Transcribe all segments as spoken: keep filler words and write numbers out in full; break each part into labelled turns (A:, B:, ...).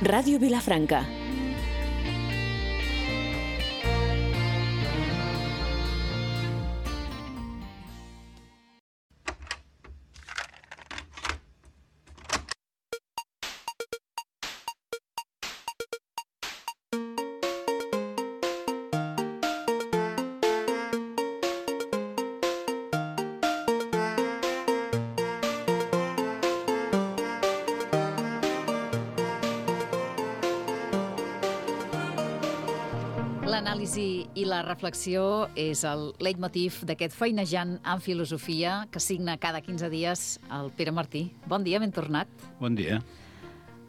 A: Ràdio Vilafranca.
B: L'anàlisi i la reflexió és el leitmotiv d'aquest feinejant en filosofia que signa cada quinze dies el Pere Martí. Bon dia, ben tornat.
C: Bon dia.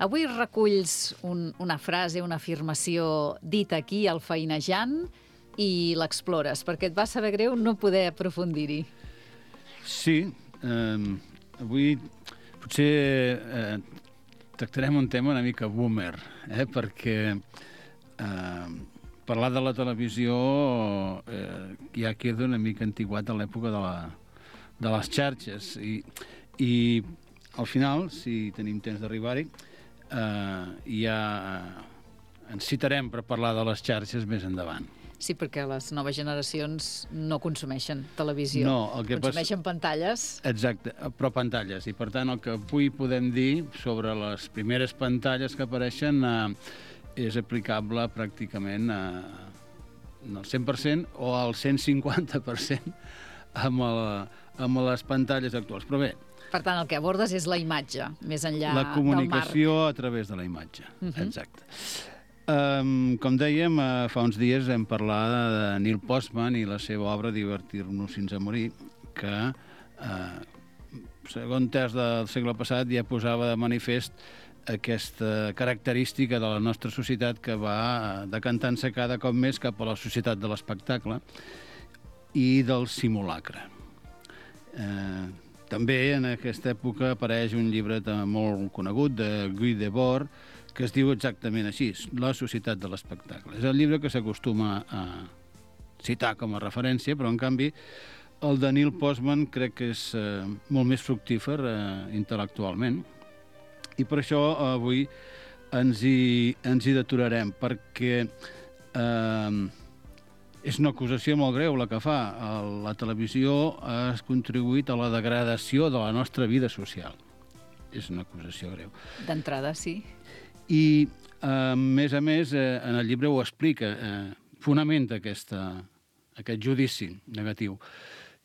B: Avui reculls un, una frase, una afirmació dita aquí al feinejant i l'explores, perquè et va saber greu no poder aprofundir-hi.
C: Sí, eh, avui potser eh, tractarem un tema una mica boomer, eh, perquè eh, parlar de la televisió eh, ja queda una mica antiguat a l'època de, la, de les xarxes i, i al final, si tenim temps d'arribar-hi, eh, ja ens citarem per parlar de les xarxes més endavant.
B: Sí, perquè les noves generacions no consumeixen televisió,
C: no, el que
B: consumeixen
C: pas...
B: pantalles.
C: Exacte, però pantalles. I per tant el que avui podem dir sobre les primeres pantalles que apareixen eh, és aplicable pràcticament a, al cent per cent o al cent cinquanta per cent amb, el, amb les pantalles actuals. Però bé...
B: Per tant, el que abordes és la imatge, més enllà del marc.
C: La comunicació a través de la imatge, uh-huh. Exacte. Um, com dèiem, uh, fa uns dies vam parlar de Neil Postman i la seva obra Divertir-nos fins a morir, que, uh, segon terç del segle passat, ja posava de manifest aquesta característica de la nostra societat que va decantant-se cada cop més cap a la societat de l'espectacle i del simulacre. Eh, també en aquesta època apareix un llibre molt conegut de Guy Debord que es diu exactament així, La societat de l'espectacle. És el llibre que s'acostuma a citar com a referència, però en canvi el de Neil Postman crec que és eh, molt més fructífer eh, intel·lectualment. I per això avui ens hi, ens hi deturarem, perquè eh, és una acusació molt greu la que fa. La televisió ha contribuït a la degradació de la nostra vida social. És una acusació greu.
B: D'entrada, sí.
C: I, eh, a més a més, eh, en el llibre ho explica, eh, fonamenta aquesta, aquest judici negatiu.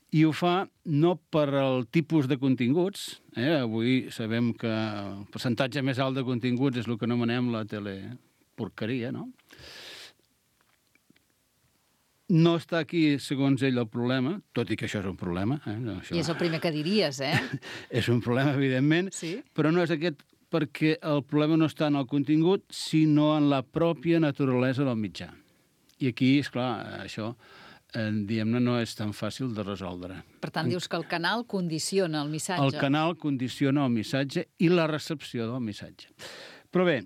C: I ho fa no per el tipus de continguts, eh? Avui sabem que el percentatge més alt de continguts és el que anomenem la teleporqueria, no? No està aquí, segons ell, el problema, tot i que això és un problema. Eh? Això...
B: I és el primer que diries, eh?
C: És un problema, evidentment,
B: sí?
C: Però no és aquest, perquè el problema no està en el contingut, sinó en la pròpia naturalesa del mitjà. I aquí, esclar, això... diguem-ne, no és tan fàcil de resoldre.
B: Per tant, dius que el canal condiciona el missatge.
C: El canal condiciona el missatge i la recepció del missatge. Però bé,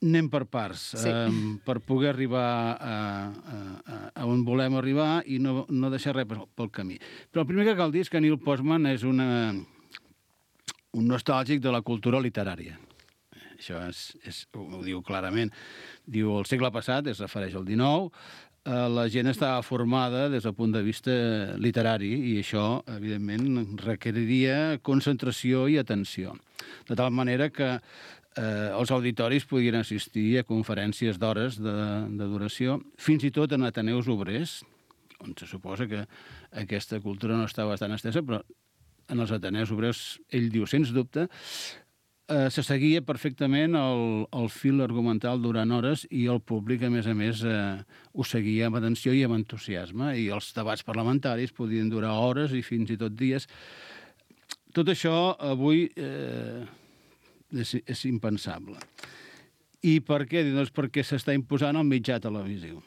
C: anem per parts,
B: sí.
C: eh, per poder arribar a, a, a on volem arribar i no, no deixar res pel camí. Però el primer que cal dir és que Neil Postman és una, un nostàlgic de la cultura literària. Això és, és, ho diu clarament. Diu, el segle passat, es refereix al dinou, la gent estava formada des del punt de vista literari i això, evidentment, requeriria concentració i atenció. De tal manera que eh, els auditoris podien assistir a conferències d'hores de, de duració, fins i tot en ateneus obrers, on se suposa que aquesta cultura no estava tan estesa, però en els ateneus obrers, ell diu, sens dubte, Eh, se seguia perfectament el, el fil argumental durant hores i el públic, a més a més, eh, ho seguia amb atenció i amb entusiasme, i els debats parlamentaris podien durar hores i fins i tot dies. Tot això avui eh, és, és impensable. I per què? Doncs perquè s'està imposant el mitjà televisiu.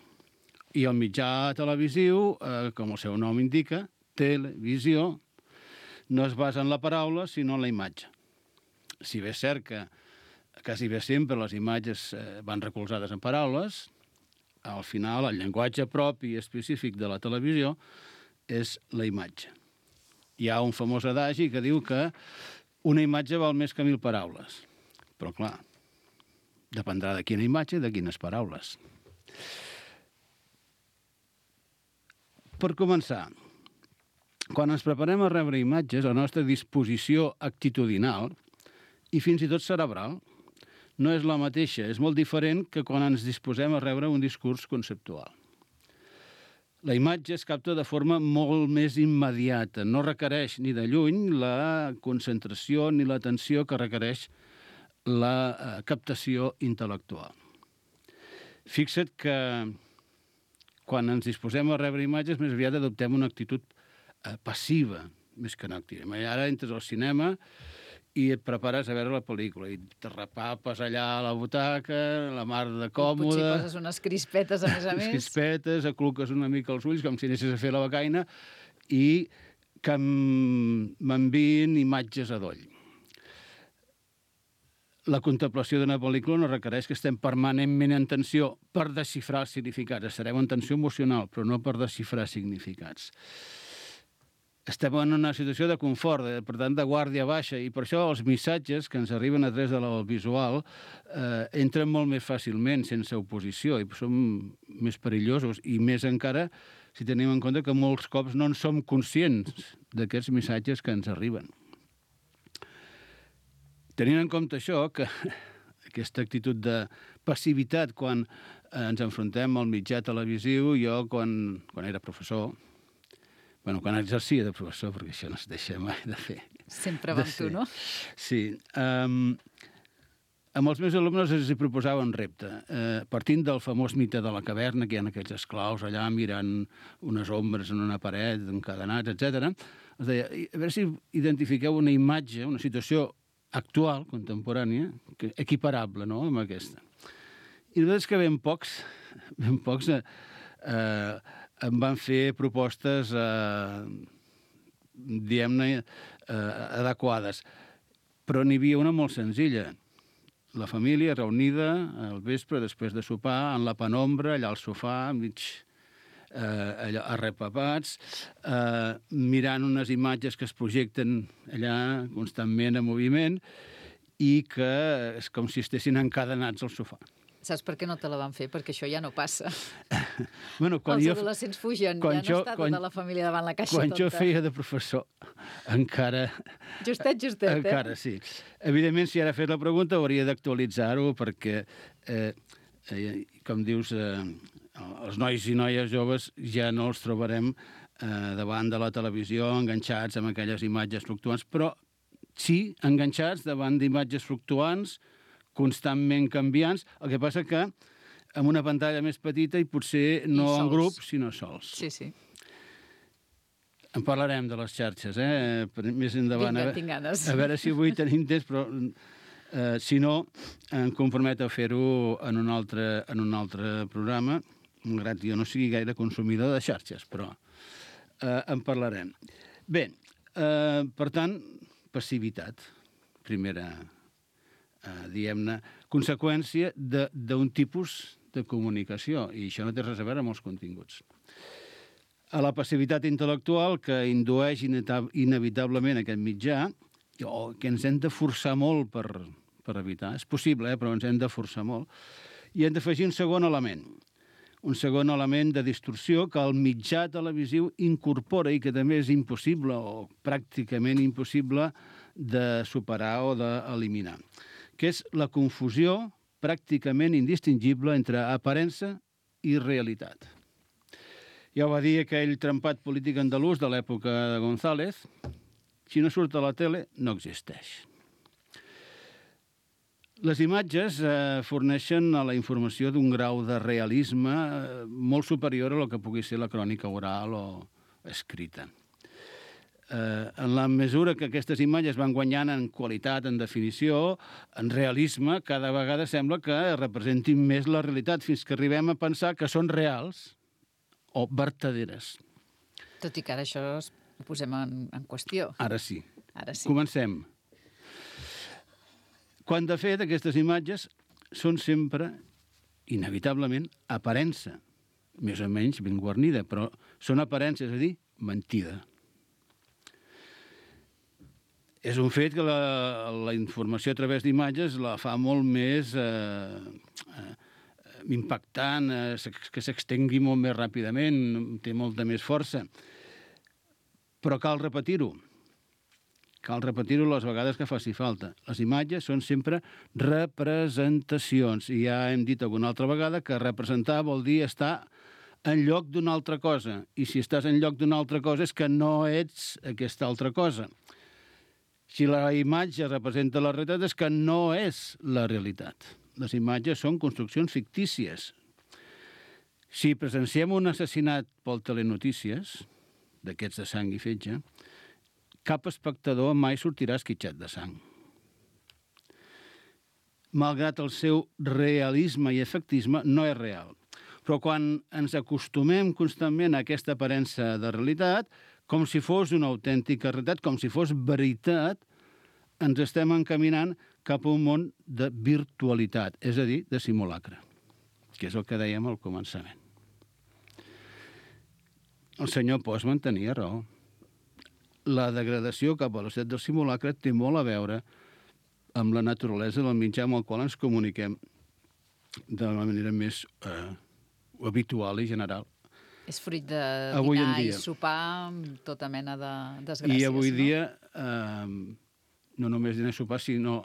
C: I el mitjà televisiu, eh, com el seu nom indica, televisió, no es basa en la paraula, sinó en la imatge. Si bé és cert que quasi bé sempre les imatges van recolzades en paraules, al final el llenguatge propi i específic de la televisió és la imatge. Hi ha un famós adagi que diu que una imatge val més que mil paraules. Però, clar, Dependrà de quina imatge i de quines paraules. Per començar, quan ens preparem a rebre imatges, la nostra disposició actitudinal i fins i tot cerebral no és la mateixa, és molt diferent que quan ens disposem a rebre un discurs conceptual. La imatge es capta de forma molt més immediata, no requereix ni de lluny la concentració ni l'atenció que requereix la captació intel·lectual. Fixa't que quan ens disposem a rebre imatges, més aviat adoptem una actitud passiva, més que no activa. Ara entres al cinema i et prepares a veure la pel·lícula i te repapes allà a la butaca, la mar de còmode...
B: Potser poses unes crispetes, a més a més.
C: Unes crispetes, acluques una mica els ulls, com si anessis a fer la becaina, i que m'envien imatges a doll. La contemplació d'una pel·lícula no requereix que estem permanentment en tensió per desxifrar els significats. Estarem en tensió emocional, però no per desxifrar significats. Estem en una situació de confort, de, per tant, de guàrdia baixa, i per això els missatges que ens arriben a través del visual eh, entren molt més fàcilment, sense oposició, i són més perillosos, i més encara si tenim en compte que molts cops no en som conscients d'aquests missatges que ens arriben. Tenint en compte això, que aquesta actitud de passivitat quan ens enfrontem al mitjà televisiu, jo, quan, quan era professor, bueno, quan exercia de professor, perquè això no es deixa mai de fer.
B: Sempre amb tu, no?
C: Sí. Um, amb els meus alumnes els proposava un repte. Uh, partint del famós mite de la caverna, que hi ha aquells esclaus allà mirant unes ombres en una paret, encadenats, etcètera, els deia, a veure si identifiqueu una imatge, una situació actual, contemporània, que, equiparable, no?, amb aquesta. I la veritat és que ben pocs, ben pocs... Eh, eh, em van fer propostes, eh, diguem-ne, eh, adequades. Però n'hi havia una molt senzilla. La família reunida al vespre, després de sopar, en la penombra, allà al sofà, mig eh, allà, arrepapats, eh, mirant unes imatges que es projecten allà constantment en moviment i que és com si estessin encadenats al sofà.
B: Saps per què no te la van fer? Perquè això ja no passa.
C: Bueno, quan
B: Els
C: jo,
B: adolescents fugen, ja
C: jo,
B: no està
C: quan,
B: tota la família davant la caixa
C: quan
B: tonta.
C: Quan jo feia de professor, encara...
B: Justet, justet, eh?
C: Encara, sí. Evidentment, si ara fet la pregunta, hauria d'actualitzar-ho perquè, eh, eh, com dius, eh, els nois i noies joves ja no els trobarem eh, davant de la televisió enganxats amb aquelles imatges fluctuants, però sí enganxats davant d'imatges fluctuants, constantment canviants, el que passa que amb una pantalla més petita i potser no en grup, sinó sols.
B: Sí, sí.
C: En parlarem de les xarxes, eh? Més endavant.
B: Vinga, tinc ganes.
C: A veure si avui tenim temps, però eh, si no, em comprometo a fer-ho en un altre, en un altre programa, malgrat que jo no sigui gaire consumidor de xarxes, però eh, en parlarem. Bé, eh, per tant, passivitat, primera... Uh, diguem-ne, conseqüència d'un tipus de comunicació, i això no té res a veure amb els continguts. A la passivitat intel·lectual que indueix inevitablement aquest mitjà, o que ens hem de forçar molt per, per evitar, és possible, eh, però ens hem de forçar molt, i hem d'afegir un segon element, un segon element de distorsió que el mitjà televisiu incorpora i que també és impossible o pràcticament impossible de superar o d'eliminar, que és la confusió pràcticament indistingible entre aparença i realitat. Ja ho va dir aquell trempat polític andalús de l'època de González, si no surt a la tele, no existeix. Les imatges eh, forneixen a la informació d'un grau de realisme eh, molt superior a lo que pugui ser la crònica oral o escrita. Eh, en la mesura que aquestes imatges van guanyant en qualitat, en definició, en realisme, cada vegada sembla que representin més la realitat, fins que arribem a pensar que són reals o vertaderes.
B: Tot i que ara això ho posem en, en qüestió.
C: Ara sí.
B: Ara sí.
C: Comencem. Quan, de fet, aquestes imatges són sempre, inevitablement, aparença, més o menys ben guarnida, però són aparença, és a dir, mentida. és un fet que la, la informació a través d'imatges la fa molt més eh, eh, impactant, eh, que s'extengui molt més ràpidament, té molta més força. Però cal repetir-ho. Cal repetir-ho les vegades que faci falta. Les imatges són sempre representacions. I ja hem dit alguna altra vegada que representar vol dir estar en lloc d'una altra cosa. I si estàs en lloc d'una altra cosa és que no ets aquesta altra cosa. Si la imatge representa la realitat és que no és la realitat. Les imatges són construccions fictícies. Si presenciem un assassinat pel telenotícies, d'aquests de sang i fetge, cap espectador mai sortirà esquitxat de sang. Malgrat el seu realisme i efectisme, no és real. Però quan ens acostumem constantment a aquesta aparença de realitat, com si fos una autèntica realitat, com si fos veritat, ens estem encaminant cap a un món de virtualitat, és a dir, de simulacre, que és el que dèiem al començament. El senyor Postman tenia raó. La degradació cap a la societat del simulacre té molt a veure amb la naturalesa del mitjà amb el qual ens comuniquem de la manera més eh, habitual i general.
B: És fruit de dinar i sopar amb tota mena de desgràcies.
C: I avui
B: no?
C: dia, eh, no només dinar i sopar, sinó,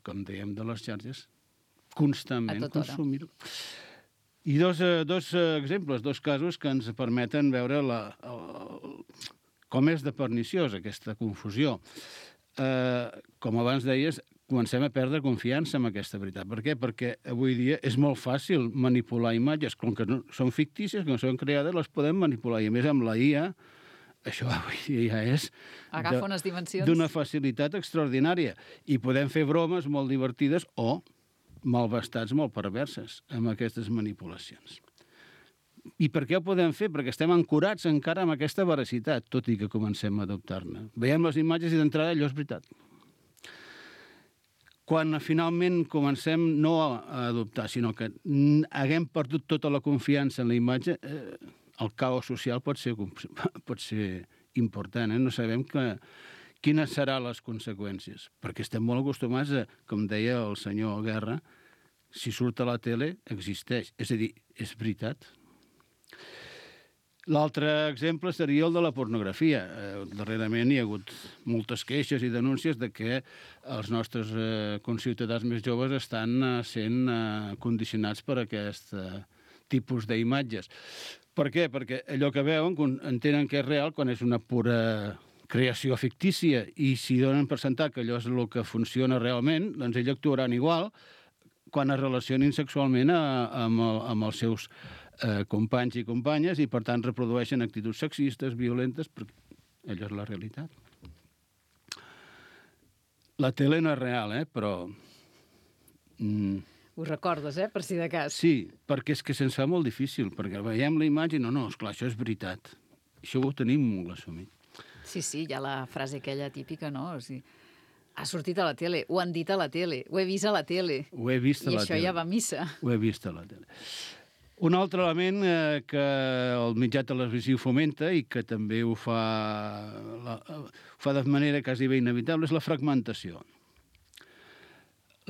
C: com dèiem, de les xarxes, constantment consumir-ho. I dos, dos exemples, dos casos que ens permeten veure la, el, com és de perniciosa aquesta confusió. Eh, com abans deies, comencem a perdre confiança en aquesta veritat. Per què? Perquè avui dia és molt fàcil manipular imatges, com que no, són fictícies, que no són creades, les podem manipular. I a més amb la I A, això avui dia ja és
B: agafa unes dimensions
C: d'una facilitat extraordinària. I podem fer bromes molt divertides o malvestats molt perverses amb aquestes manipulacions. I per què ho podem fer? Perquè estem ancorats encara amb aquesta veracitat, tot i que comencem a adoptar-ne. Veiem les imatges i d'entrada allò és veritat. Quan finalment comencem no a adoptar, sinó que haguem perdut tota la confiança en la imatge, eh, el caos social pot ser, pot ser important. Eh? No sabem que, quines seran les conseqüències, perquè estem molt acostumats a, com deia el senyor Guerra, si surt a la tele, existeix. És a dir, és veritat. L'altre exemple seria el de la pornografia. Eh, darrerament hi ha hagut moltes queixes i denúncies de que els nostres eh, conciutadans més joves estan eh, sent eh, condicionats per aquest eh, tipus d'imatges. Per què? Perquè allò que veuen entenen que és real quan és una pura creació fictícia i si donen per sentat que allò és el que funciona realment, doncs ells actuaran igual quan es relacionin sexualment a, amb, el, amb els seus eh, companys i companyes i, per tant, reprodueixen actituds sexistes, violentes, perquè allò és la realitat. La tele no és real, eh? Però... Mm,
B: ho recordes, eh? Per si de cas.
C: sí, perquè és que se'ns fa molt difícil, perquè veiem la imatge i no, no, esclar, això és veritat. Això ho tenim molt assumit.
B: Sí, sí, hi ha la frase aquella típica, no? O sigui, ha sortit a la tele, ho han dit a la tele, ho he vist a la tele.
C: Ho he vist a la tele.
B: I això ja va a missa.
C: Ho he vist a la tele. Un altre element eh, que el mitjà televisiu fomenta i que també ho fa, la, ho fa de manera quasi bé inevitable és la fragmentació.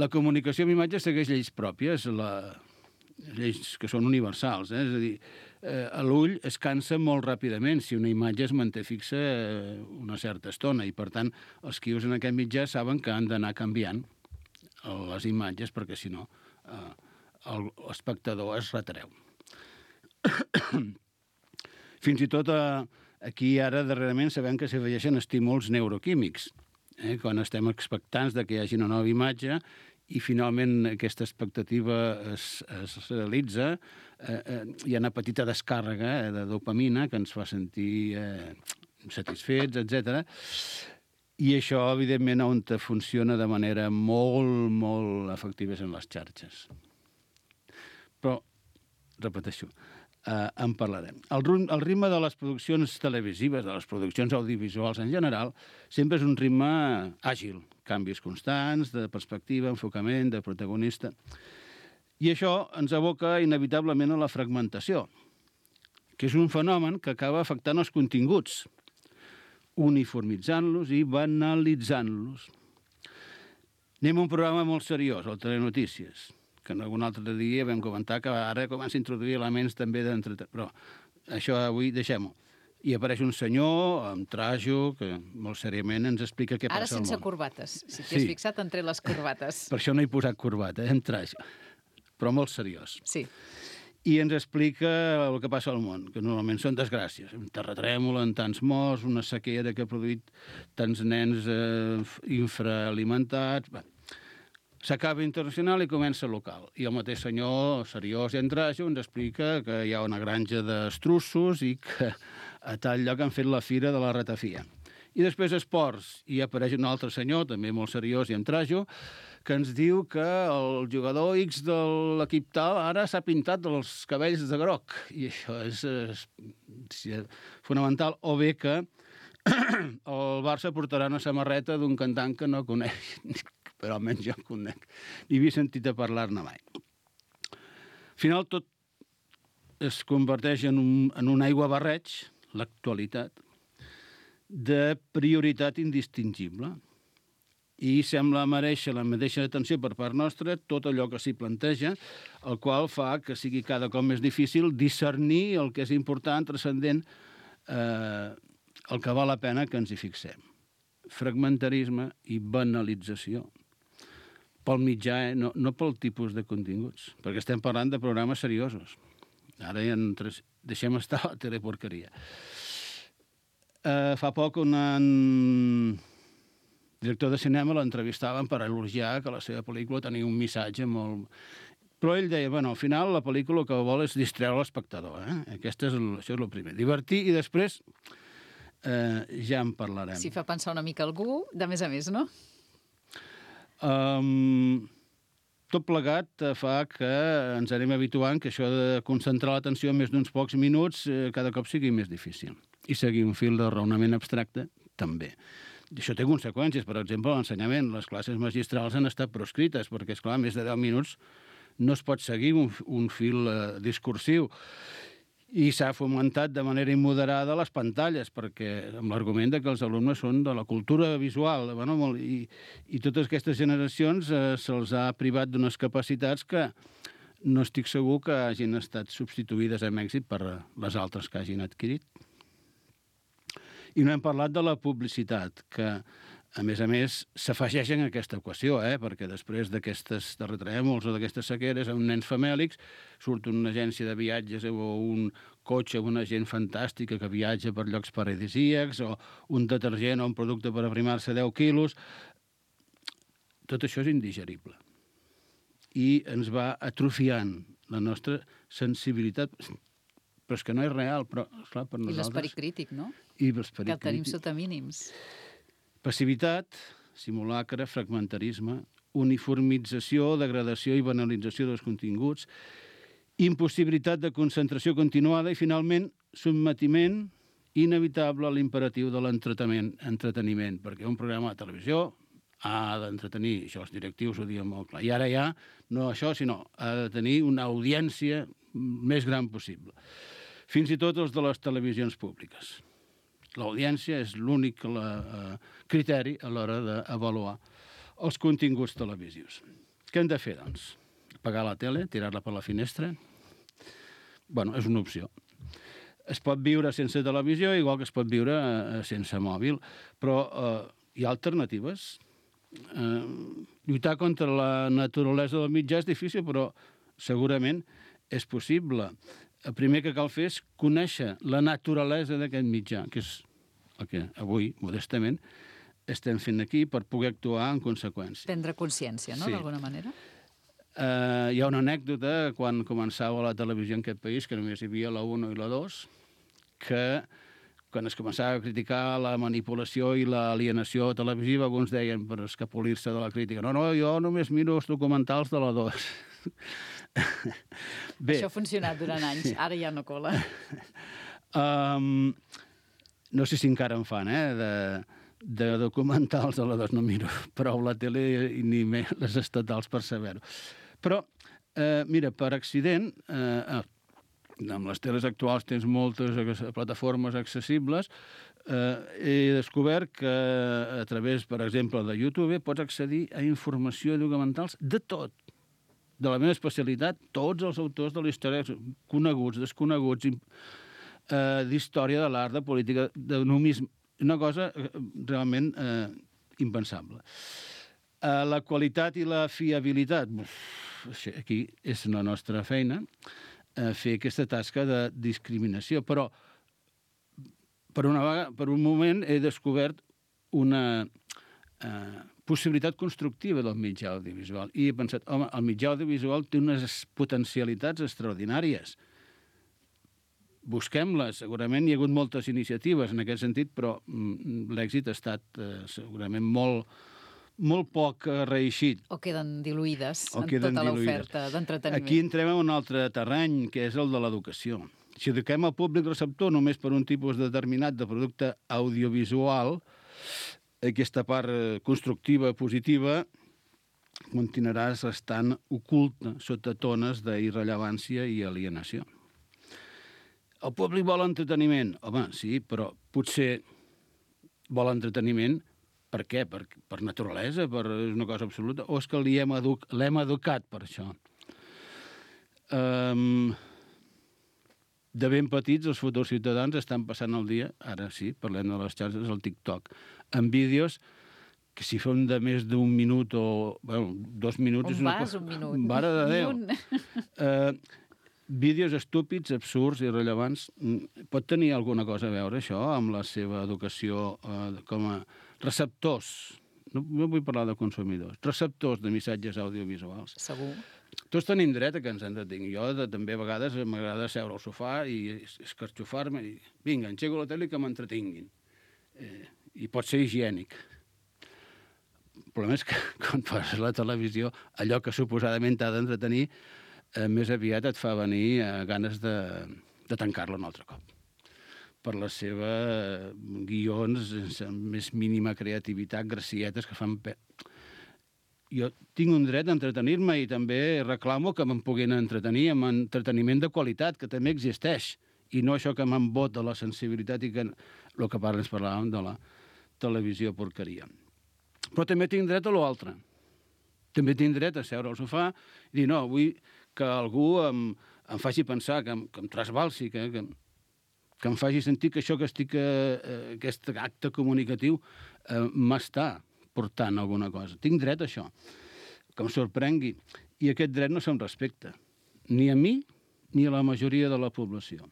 C: La comunicació amb imatges segueix lleis pròpies, la, lleis que són universals. Eh? És a dir, eh, l'ull es cansa molt ràpidament si una imatge es manté fixa eh, una certa estona i, per tant, els qui usen aquest mitjà saben que han d'anar canviant les imatges perquè, si no, eh, l'espectador es retreu. Fins i tot eh, aquí ara darrerament sabem que s'afegeixen estímuls neuroquímics. Eh? Quan estem expectants de que hi hagi una nova imatge i finalment aquesta expectativa es, es realitza, eh, eh, hi ha una petita descàrrega eh, de dopamina que ens fa sentir eh, satisfets, etcètera. I això, evidentment, on funciona de manera molt, molt efectiva en les xarxes. Però, repeteixo, eh, en parlarem. El, el ritme de les produccions televisives, de les produccions audiovisuals en general, sempre és un ritme àgil, canvis constants, de perspectiva, enfocament, de protagonista. I això ens aboca inevitablement a la fragmentació, que és un fenomen que acaba afectant els continguts. uniformitzant-los i banalitzant-los. Anem a un programa molt seriós, el Telenotícies, que en algun altre dia vam comentar que ara comença a introduir elements també d'entreteniment. Però això avui deixem-ho. I apareix un senyor amb trajo que molt seriament ens explica què
B: Ara
C: passa al món.
B: Ara sense corbates. Si t'hi has
C: Sí.
B: fixat, entre les corbates.
C: Per això no he posat corbata, eh, amb trajo. Però molt seriós.
B: Sí.
C: I ens explica el que passa al món, que normalment són desgràcies. Un terratrèmol en tants morts, una sequera que ha produït tants nens eh, infraalimentats... Bé, s'acaba internacional i comença local. I el mateix senyor, seriós i en trajo, ens explica que hi ha una granja d'estrussos i que a tal lloc han fet la fira de la ratafia. I després esports, i apareix un altre senyor, també molt seriós i en trajo, que ens diu que el jugador X de l'equip tal ara s'ha pintat els cabells de groc. I això és, és, és fonamental. O bé que el Barça portarà una samarreta d'un cantant que no coneix, però almenys jo conec. Ni havia sentit a parlar-ne mai. Al final tot es converteix en un, en un aiguabarreig, l'actualitat, de prioritat indistingible. I sembla mereixer la mateixa atenció per part nostra tot allò que s'hi planteja, el qual fa que sigui cada cop més difícil discernir el que és important, transcendent, eh, el que val la pena que ens hi fixem. Fragmentarisme i banalització. Pel mitjà, eh? no, no pel tipus de continguts, perquè estem parlant de programes seriosos. Ara ja entres... deixem estar la teleporqueria. Eh, fa poc un director de cinema l'entrevistaven per elogiar que la seva pel·lícula tenia un missatge molt... Però ell deia, bueno, al final la pel·lícula el que vol és distreure l'espectador. Eh? Aquest és el, això és el primer. Divertir i després eh, ja en parlarem.
B: Si fa pensar una mica algú, de més a més, no?
C: Um, tot plegat fa que ens anem habituant que això de concentrar l'atenció en més d'uns pocs minuts eh, cada cop sigui més difícil. I seguir un fil de raonament abstracte, també. I això té conseqüències. Per exemple, l'ensenyament. Les classes magistrals han estat proscrites, perquè, esclar, més de deu minuts no es pot seguir un, un fil eh, discursiu. I s'ha fomentat de manera immoderada les pantalles, perquè amb l'argument de que els alumnes són de la cultura visual. Bueno, molt, i, I totes aquestes generacions eh, se'ls ha privat d'unes capacitats que no estic segur que hagin estat substituïdes amb èxit per les altres que hagin adquirit. I no hem parlat de la publicitat, que, a més a més, s'afegeix en aquesta equació, eh? Perquè després d'aquestes terratrèmols o d'aquestes sequeres, a uns nens famèlics surt una agència de viatges o un cotxe amb una gent fantàstica que viatja per llocs paradisíacs, o un detergent o un producte per aprimar-se deu quilos. Tot això és indigerible. I ens va atrofiant la nostra sensibilitat, però és que no és real, però, esclar, per nosaltres...
B: I l'esperit crític, no?
C: I l'esperit
B: que el tenim
C: crític.
B: sota mínims.
C: Passivitat, simulacre, fragmentarisme, uniformització, degradació i banalització dels continguts, impossibilitat de concentració continuada i, finalment, sotmetiment inevitable a l'imperatiu de l'entreteniment, entreteniment, perquè un programa de televisió ha d'entretenir, això els directius ho diuen molt clar, i ara ja, no això, sinó ha de tenir una audiència més gran possible. Fins i tot els de les televisions públiques. L'audiència és l'únic eh, criteri a l'hora d'avaluar els continguts televisius. Què hem de fer, doncs? Apagar la tele, tirar-la per la finestra? Bueno, és una opció. Es pot viure sense televisió, igual que es pot viure eh, sense mòbil, però eh, hi ha alternatives. Eh, lluitar contra la naturalesa del mitjà és difícil, però segurament és possible. El primer que cal fer és conèixer la naturalesa d'aquest mitjà, que és el que avui, modestament, estem fent aquí per poder actuar en conseqüència.
B: Prendre consciència, no?,
C: Sí.
B: d'alguna manera.
C: Uh, hi ha una anècdota quan començava la televisió en aquest país, que només hi havia la uno i la dos, que quan es començava a criticar la manipulació i l'alienació televisiva, alguns deien per escapolir-se de la crítica. No, no, jo només miro els documentals de la dos.
B: Bé. Això ha funcionat durant anys, ara ja no cola.
C: Um, no sé si encara en fan, eh, de, de documentals de la dos, no miro prou la tele ni més les estatals per saber-ho. Però, eh, mira, per accident, eh, amb les teles actuals tens moltes plataformes accessibles, eh, he descobert que a través, per exemple, de YouTube pots accedir a informació i documentals de tot. De la meva especialitat, tots els autors de la història, coneguts, desconeguts, eh, d'història de l'art, de política, de numisme, una cosa realment eh, impensable. Eh, la qualitat i la fiabilitat, uf, aquí és la nostra feina, eh, fer aquesta tasca de discriminació, però per, una vegada, per un moment he descobert una eh, possibilitat constructiva del mitjà audiovisual i he pensat, home, el mitjà audiovisual té unes potencialitats extraordinàries. Busquem-les. Segurament hi ha hagut moltes iniciatives en aquest sentit, però mm, l'èxit ha estat eh, segurament molt, molt poc eh, reeixit.
B: O queden diluïdes
C: o
B: en
C: queden
B: tota
C: diluïdes.
B: l'oferta d'entreteniment.
C: Aquí entrem en un altre terreny, que és el de l'educació. Si eduquem el públic receptor només per un tipus determinat de producte audiovisual, aquesta part constructiva, positiva, continuaràs estant oculta sota tones d'irrellevància i alienació. El públic vol entreteniment. Home, sí, però potser vol entreteniment per què? Per, per naturalesa, per una cosa absoluta? O és que l'hem edu educat per això? Um, de ben petits, els futurs ciutadans estan passant el dia, ara sí, parlem de les xarxes, el TikTok, amb vídeos que si fem de més d'un minut o... Bueno, dos minuts...
B: On vas, un minut?
C: Mare de Déu! Uh, vídeos estúpids, absurds, irrellevants. Pot tenir alguna cosa a veure, això, amb la seva educació uh, com a receptors? No, no vull parlar de consumidors. Receptors de missatges audiovisuals.
B: Segur.
C: Tots tenim dret a que ens entretinguin. Jo de, també a vegades m'agrada seure al sofà i escarxofar-me i vinga, engego la tele i que m'entretinguin. Eh, I pot ser higiènic. El problema és que quan poses la televisió, allò que suposadament t'ha d'entretenir, eh, més aviat et fa venir eh, ganes de, de tancar-la un altre cop. Per la seva eh, guions, sense més mínima creativitat, gracietes que fan... Pe... Jo tinc un dret a entretenir-me i també reclamo que me'n puguin entretenir amb entreteniment de qualitat, que també existeix, i no això que m'embot de la sensibilitat i que el que parla ens parlàvem de la televisió porqueria. Però també tinc dret a l'altre. També tinc dret a seure al sofà i dir, no, vull que algú em, em faci pensar, que em, que em trasbalsi, que, que, que em faci sentir que això que estic, eh, aquest acte comunicatiu eh, m'està portant alguna cosa. Tinc dret a això, que em sorprengui. I aquest dret no se'm respecta, ni a mi ni a la majoria de la població.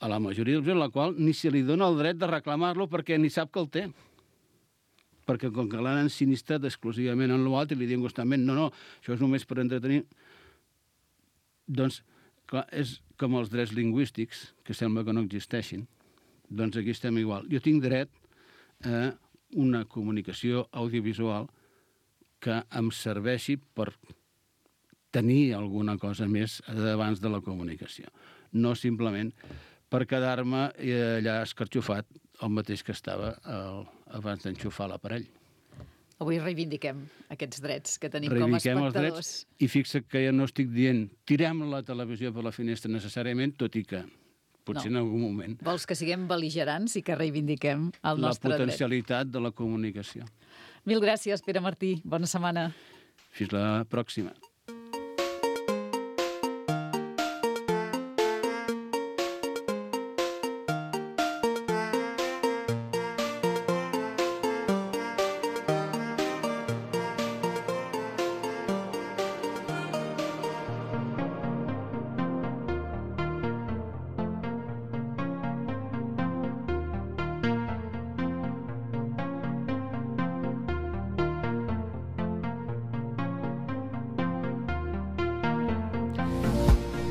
C: A la majoria de la població, a la qual ni se li dona el dret de reclamar-lo perquè ni sap que el té. Perquè com que l'han ensinistrat exclusivament en l'altre i li diuen constantment no, no, això és només per entretenir, doncs, clar, és com els drets lingüístics, que sembla que no existeixin. Doncs aquí estem igual. Jo tinc dret a una comunicació audiovisual que em serveixi per tenir alguna cosa més abans de la comunicació. No simplement per quedar-me allà escarxofat el mateix que estava el, abans d'enxufar l'aparell.
B: Avui reivindiquem aquests drets que tenim
C: reivindiquem
B: com a espectadors.
C: Els drets, i fixa't que ja no estic dient tirem la televisió per la finestra necessàriament, tot i que potser no. En algun moment.
B: Vols que siguem bel·ligerants i que reivindiquem el nostre dret.
C: La potencialitat dret. De la comunicació.
B: Mil gràcies, Pere Martí. Bona setmana.
C: Fins la pròxima.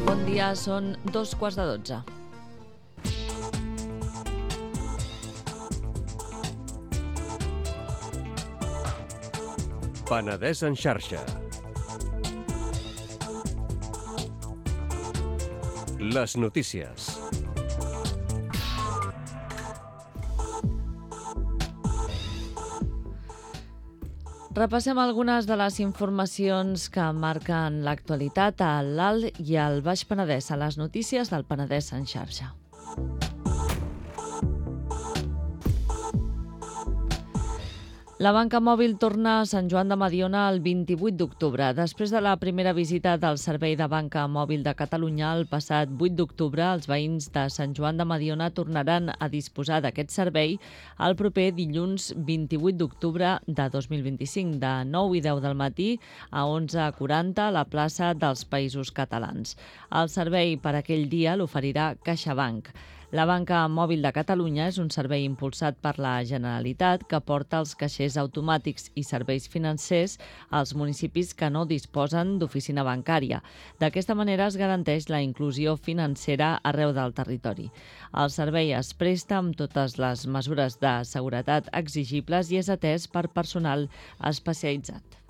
A: Bon dia, són dos quarts de dotze.
D: Penedès en xarxa. Les notícies.
A: Repassem algunes de les informacions que marquen l'actualitat a l'Alt i al Baix Penedès, a les notícies del Penedès en xarxa. La banca mòbil torna a Sant Joan de Mediona el vint-i-vuit d'octubre. Després de la primera visita del Servei de Banca Mòbil de Catalunya el passat vuit d'octubre, els veïns de Sant Joan de Mediona tornaran a disposar d'aquest servei el proper dilluns vint-i-vuit d'octubre de dos mil vint-i-cinc, de nou i deu del matí a onze quaranta a la plaça dels Països Catalans. El servei per aquell dia l'oferirà CaixaBank. La Banca Mòbil de Catalunya és un servei impulsat per la Generalitat que porta els caixers automàtics i serveis financers als municipis que no disposen d'oficina bancària. D'aquesta manera es garanteix la inclusió financera arreu del territori. El servei es presta amb totes les mesures de seguretat exigibles i és atès per personal especialitzat.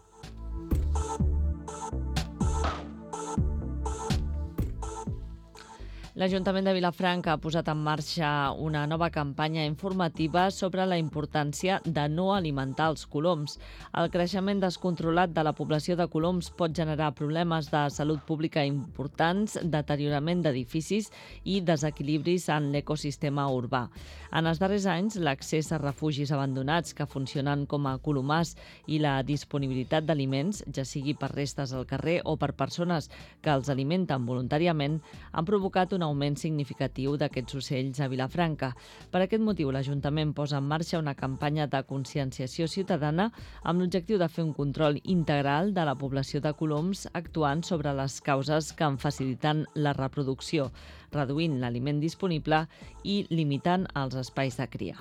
A: L'Ajuntament de Vilafranca ha posat en marxa una nova campanya informativa sobre la importància de no alimentar els coloms. El creixement descontrolat de la població de coloms pot generar problemes de salut pública importants, deteriorament d'edificis i desequilibris en l'ecosistema urbà. En els darrers anys, l'accés a refugis abandonats que funcionen com a colomars i la disponibilitat d'aliments, ja sigui per restes al carrer o per persones que els alimenten voluntàriament, han provocat un augment significatiu d'aquests ocells a Vilafranca. Per aquest motiu, l'Ajuntament posa en marxa una campanya de conscienciació ciutadana amb l'objectiu de fer un control integral de la població de coloms actuant sobre les causes que en faciliten la reproducció, reduint l'aliment disponible i limitant els espais de cria.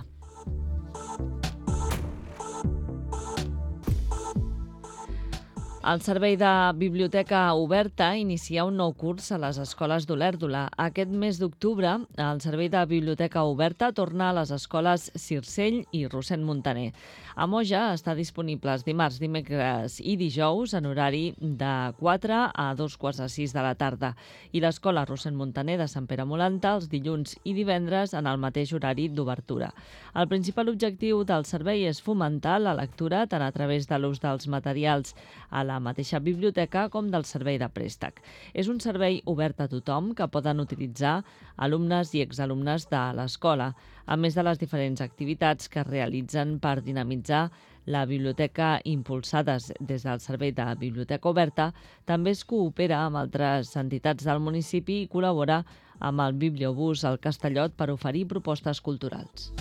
A: El Servei de Biblioteca Oberta inicia un nou curs a les escoles d'Olèrdola. Aquest mes d'octubre, el Servei de Biblioteca Oberta torna a les escoles Circell i Rossend Montaner. A Moja està disponible els dimarts, dimecres i dijous en horari de quatre a dos quarts de sis de la tarda i l'escola Rossend Montaner de Sant Pere Molanta els dilluns i divendres en el mateix horari d'obertura. El principal objectiu del servei és fomentar la lectura tant a través de l'ús dels materials a la mateixa biblioteca com del servei de préstec. És un servei obert a tothom que poden utilitzar alumnes i exalumnes de l'escola, a més de les diferents activitats que es realitzen per dinamitzar la biblioteca impulsades des del Servei de Biblioteca Oberta. També es coopera amb altres entitats del municipi i col·labora amb el Bibliobús al Castellot per oferir propostes culturals.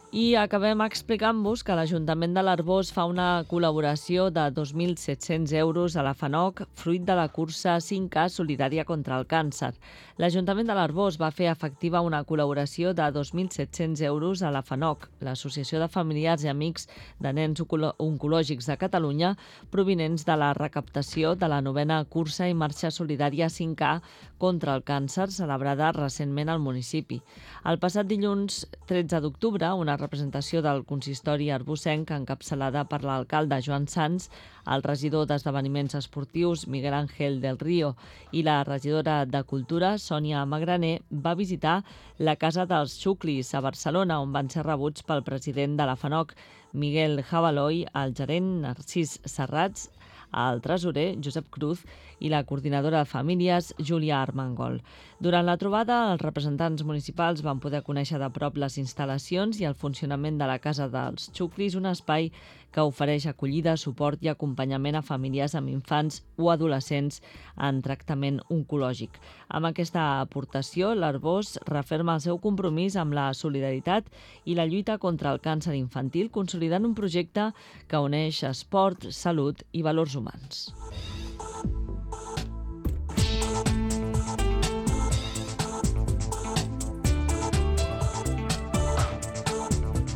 A: I acabem explicant-vos que l'Ajuntament de l'Arboç fa una col·laboració de dos mil set-cents euros a la FANOC, fruit de la cursa cinc K solidària contra el càncer. L'Ajuntament de l'Arboç va fer efectiva una col·laboració de dos mil set-cents euros a la FANOC, l'Associació de Familiars i Amics de Nens Oncològics de Catalunya, provinents de la recaptació de la novena cursa i marxa solidària cinc K contra el càncer, celebrada recentment al municipi. El passat dilluns tretze d'octubre, una representació del consistori arbocenc encapçalada per l'alcalde Joan Sans, el regidor d'Esdeveniments Esportius Miguel Ángel del Río i la regidora de Cultura Sònia Magraner va visitar la Casa dels Xuclis a Barcelona, on van ser rebuts pel president de la FANOC, Miguel Jabaloi, el gerent Narcís Serrats, el tresorer Josep Cruz i la coordinadora de famílies Júlia Armengol. Durant la trobada, els representants municipals van poder conèixer de prop les instal·lacions i el funcionament de la Casa dels Xuclis, un espai que ofereix acollida, suport i acompanyament a famílies amb infants o adolescents en tractament oncològic. Amb aquesta aportació, l'Arboç referma el seu compromís amb la solidaritat i la lluita contra el càncer infantil, consolidant un projecte que uneix esport, salut i valors humans.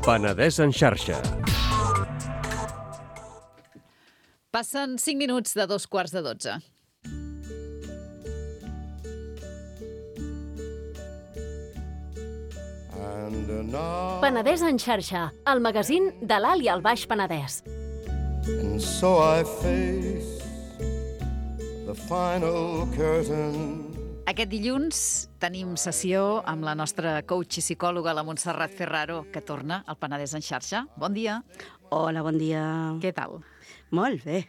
D: Penedès en xarxa.
B: Passen cinc minuts de dos quarts de dotze.
E: Penedès en xarxa, el magazín de l'Alt i el Baix Penedès.
F: And so I face the final curtain.
B: Aquest dilluns tenim sessió amb la nostra coach i psicòloga, la Montserrat Ferraro, que torna al Penedès en xarxa. Bon dia.
G: Hola, bon dia.
B: Què tal?
G: Molt bé.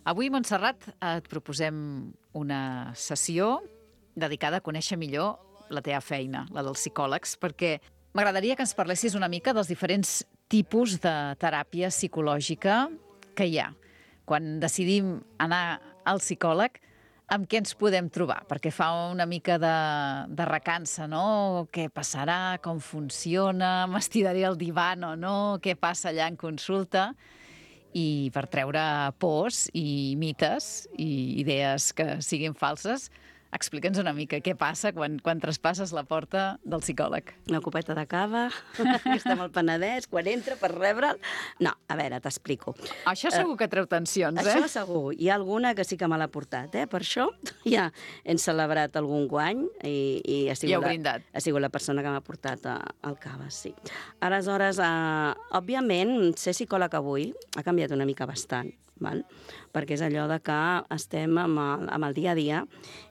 B: Avui, Montserrat, et proposem una sessió dedicada a conèixer millor la teva feina, la dels psicòlegs, perquè m'agradaria que ens parlessis una mica dels diferents tipus de teràpia psicològica que hi ha. Quan decidim anar al psicòleg, amb què ens podem trobar? Perquè fa una mica de, de recança, no? Què passarà? Com funciona? M'estiraré al divan o no? Què passa allà en consulta? I per treure pors i mites i idees que siguin falses, explica'ns una mica què passa quan, quan traspasses la porta del psicòleg.
G: Una copeta de cava, que estem al Penedès, quan entra per rebre'l... No, a veure, t'explico.
B: Això segur que treu tensions, eh?
G: Això segur. Hi ha alguna que sí que me l'ha portat, eh? Per això ja hem celebrat algun guany i, i ha, sigut
B: I heu
G: la,
B: brindat.
G: ha sigut la persona que m'ha portat a, al cava, sí. Aleshores, eh, òbviament, ser psicòleg avui ha canviat una mica bastant, val? Perquè és allò de que estem amb el, amb el dia a dia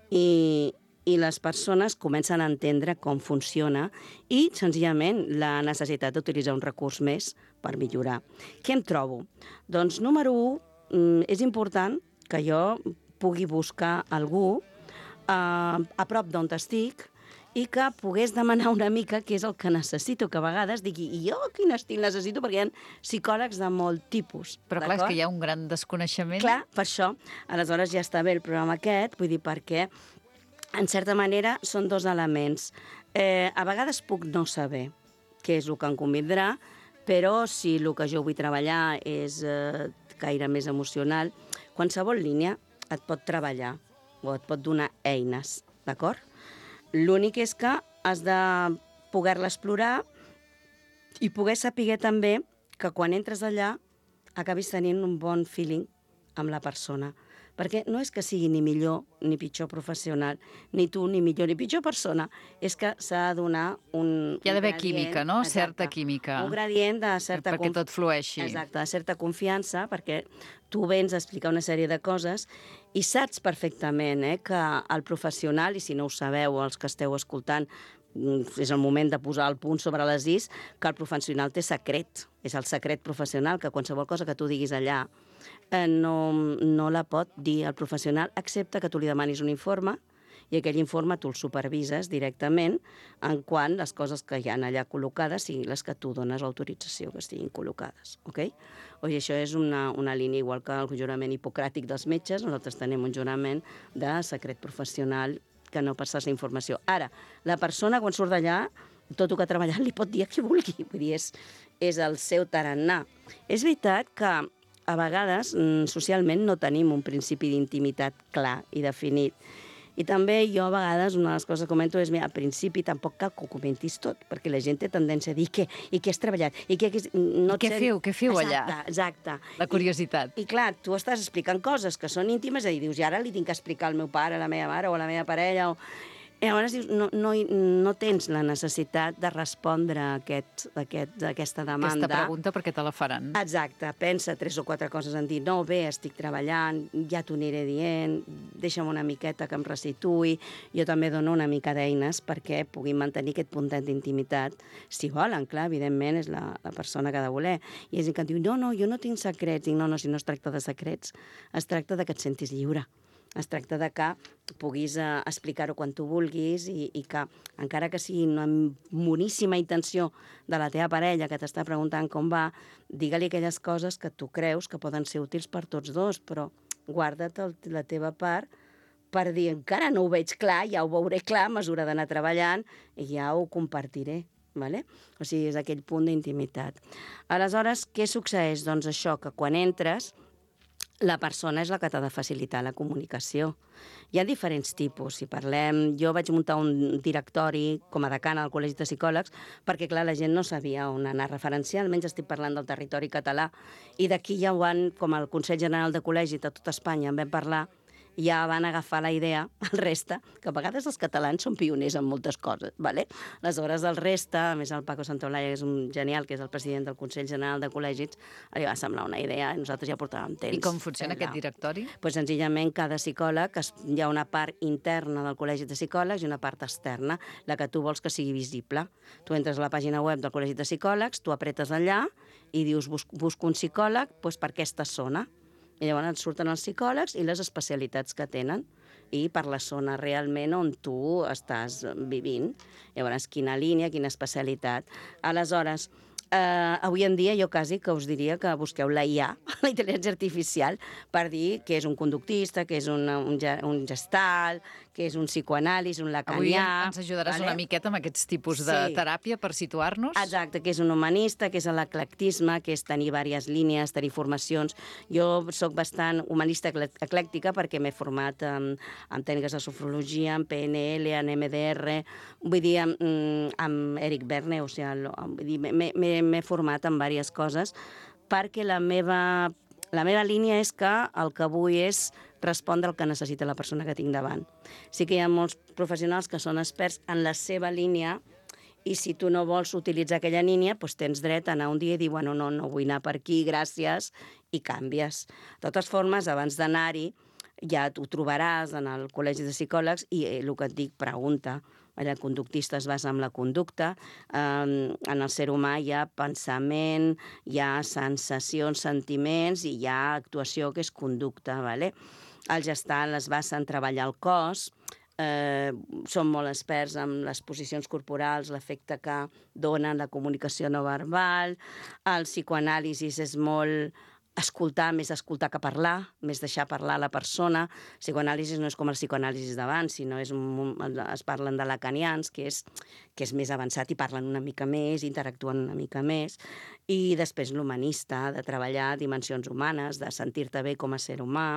G: i, i les persones comencen a entendre com funciona i, senzillament, la necessitat d'utilitzar un recurs més per millorar. Què em trobo? Doncs, número un, és important que jo pugui buscar algú eh, a prop d'on estic i que pogués demanar una mica què és el que necessito, que a vegades digui, i jo quin estil necessito, perquè hi ha psicòlegs de molt tipus.
B: Però clar, és que hi ha un gran desconeixement.
G: Clar, per això. Aleshores ja està bé el programa aquest, vull dir, perquè, en certa manera, són dos elements. Eh, a vegades puc no saber què és el que em convindrà, però si el que jo vull treballar és eh, gaire més emocional, qualsevol línia et pot treballar o et pot donar eines, d'acord? L'únic és que has de poder-la explorar i poder saber també que quan entres allà acabis tenint un bon feeling amb la persona. Perquè no és que sigui ni millor ni pitjor professional, ni tu ni millor ni pitjor persona, és que s'ha de donar un...
B: Hi ha d'haver
G: un
B: química, no?
G: Exacte,
B: Certa química.
G: Un gradient de certa...
B: Perquè tot flueixi.
G: Exacte, de certa confiança, perquè tu vens a explicar una sèrie de coses i saps perfectament eh, que el professional, i si no ho sabeu, els que esteu escoltant, és el moment de posar el punt sobre les is, que el professional té secret. És el secret professional, que qualsevol cosa que tu diguis allà eh, no, no la pot dir el professional, excepte que tu li demanis un informe i aquell informe tu el supervises directament en quant les coses que hi ha allà col·locades siguin les que tu dones l'autorització que estiguin col·locades. Okay? O sigui, això és una, una línia igual que el jurament hipocràtic dels metges, nosaltres tenim un jurament de secret professional que no passés la informació. Ara, la persona quan surt d'allà, tot el que ha treballat li pot dir a qui vulgui, vull dir, és, és el seu tarannà. És veritat que a vegades socialment no tenim un principi d'intimitat clar i definit. I també jo a vegades una de les coses que comento és, mira, al principi tampoc cal que ho comentis tot, perquè la gent té tendència a dir què, i què has treballat, i què... No
B: I què feu, què feu allà?
G: Exacte, exacte.
B: La curiositat.
G: I, I clar, tu estàs explicant coses que són íntimes i dius, i ara li tinc que explicar al meu pare, a la meva mare o a la meva parella, o... I llavors dius, no, no, no tens la necessitat de respondre a, aquest, a, aquest, a aquesta demanda.
B: Aquesta pregunta perquè te la faran.
G: Exacte, pensa tres o quatre coses en dir, no, bé, estic treballant, ja t'ho aniré dient, deixa'm una miqueta que em restituï. Jo també dono una mica d'eines perquè puguin mantenir aquest puntet d'intimitat. Si volen, clar, evidentment, és la, la persona que ha de voler. I és que em diu, no, no, jo no tinc secrets. Dic, no, no, si no es tracta de secrets, es tracta de que et sentis lliure. Es tracta de que puguis eh, explicar-ho quan tu vulguis i, i que, encara que sigui una boníssima intenció de la teva parella que t'està preguntant com va, digue-li aquelles coses que tu creus que poden ser útils per tots dos, però guarda't el, la teva part per dir, encara no ho veig clar, ja ho veuré clar a mesura d'anar treballant i ja ho compartiré. Vale? O sigui, és aquell punt d'intimitat. Aleshores, què succeeix? Doncs això, que quan entres, la persona és la que t'ha de facilitar la comunicació. Hi ha diferents tipus. Si parlem... Jo vaig muntar un directori com a decana al Col·legi de Psicòlegs perquè, clar, la gent no sabia on anar a referenciar, almenys estic parlant del territori català. I d'aquí ja ho van, com el Consell General de Col·legis de tot Espanya, en vam parlar, ja van agafar la idea, el resta, que a vegades els catalans són pioners en moltes coses, ¿vale? Aleshores, el resta, a més el Paco Santaolalla, que és un genial, que és el president del Consell General de Col·legis, li va semblar una idea i nosaltres ja portàvem temps.
B: I com funciona aquest directori?
G: Pues senzillament cada psicòleg, hi ha una part interna del Col·legi de Psicòlegs i una part externa, la que tu vols que sigui visible. Tu entres a la pàgina web del Col·legi de Psicòlegs, tu apretes allà i dius busco un psicòleg pues, per aquesta zona. I llavors et surten els psicòlegs i les especialitats que tenen. i per la zona realment on tu estàs vivint. Llavors, quina línia, quina especialitat. Aleshores, Uh, avui en dia jo quasi que us diria que busqueu la I A, la intel·ligència artificial, per dir que és un conductista, que és un, un, un gestal, que és un psicoanàlisi, un lacanià...
B: Avui ens ajudaràs vale? una miqueta amb aquests tipus de
G: sí.
B: teràpia per situar-nos.
G: Exacte, que és un humanista, que és l'eclectisme, que és tenir diverses línies, tenir formacions. Jo sóc bastant humanista eclèctica perquè m'he format en, en tècniques de sofrologia, en P N L, en M D R, vull dir, amb, amb Eric Berne, o sigui, vull dir, m'he format en diverses coses perquè la meva, la meva línia és que el que vull és respondre al que necessita la persona que tinc davant. Sí que hi ha molts professionals que són experts en la seva línia i si tu no vols utilitzar aquella línia, doncs tens dret a anar un dia i dir, bueno, no, no vull anar per aquí, gràcies, i canvies. De totes formes, abans d'anar-hi, ja t'ho trobaràs en el Col·legi de Psicòlegs i el que et dic, pregunta. El conductista es basa en la conducta, en el ser humà hi ha pensament, hi ha sensacions, sentiments i hi ha actuació que és conducta. Vale? El gestal es basa en treballar el cos, eh, són molt experts en les posicions corporals, l'efecte que donen la comunicació no verbal, el psicoanàlisi és molt... escoltar, més escoltar que parlar, més deixar parlar la persona. El psicoanàlisi no és com el psicoanàlisi d'abans, sinó és un, es parlen de lacanians, que és, que és més avançat i parlen una mica més, interactuen una mica més. I després l'humanista, de treballar dimensions humanes, de sentir-te bé com a ser humà.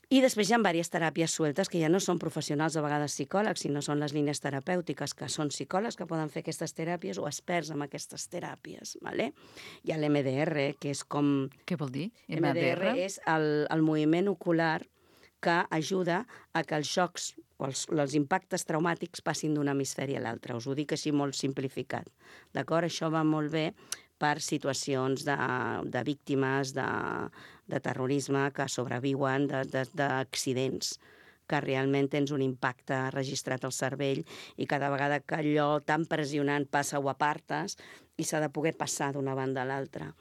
G: I després hi ha diverses teràpies sueltes que ja no són professionals, a vegades psicòlegs, sinó són les línies terapèutiques, que són psicòlegs que poden fer aquestes teràpies o experts en aquestes teràpies. Vale? Hi ha l'M D R, que és com...
B: Què vol dir?
G: M D R és el, el moviment ocular que ajuda a que els xocs o els, els impactes traumàtics passin d'un hemisferi a l'altre. Us ho dic així molt simplificat. D'acord? Això va molt bé per situacions de, de víctimes de, de terrorisme que sobreviuen d'accidents, que realment tens un impacte registrat al cervell i cada vegada que allò tan pressionant passa ho apartes i s'ha de poder passar d'una banda a l'altra.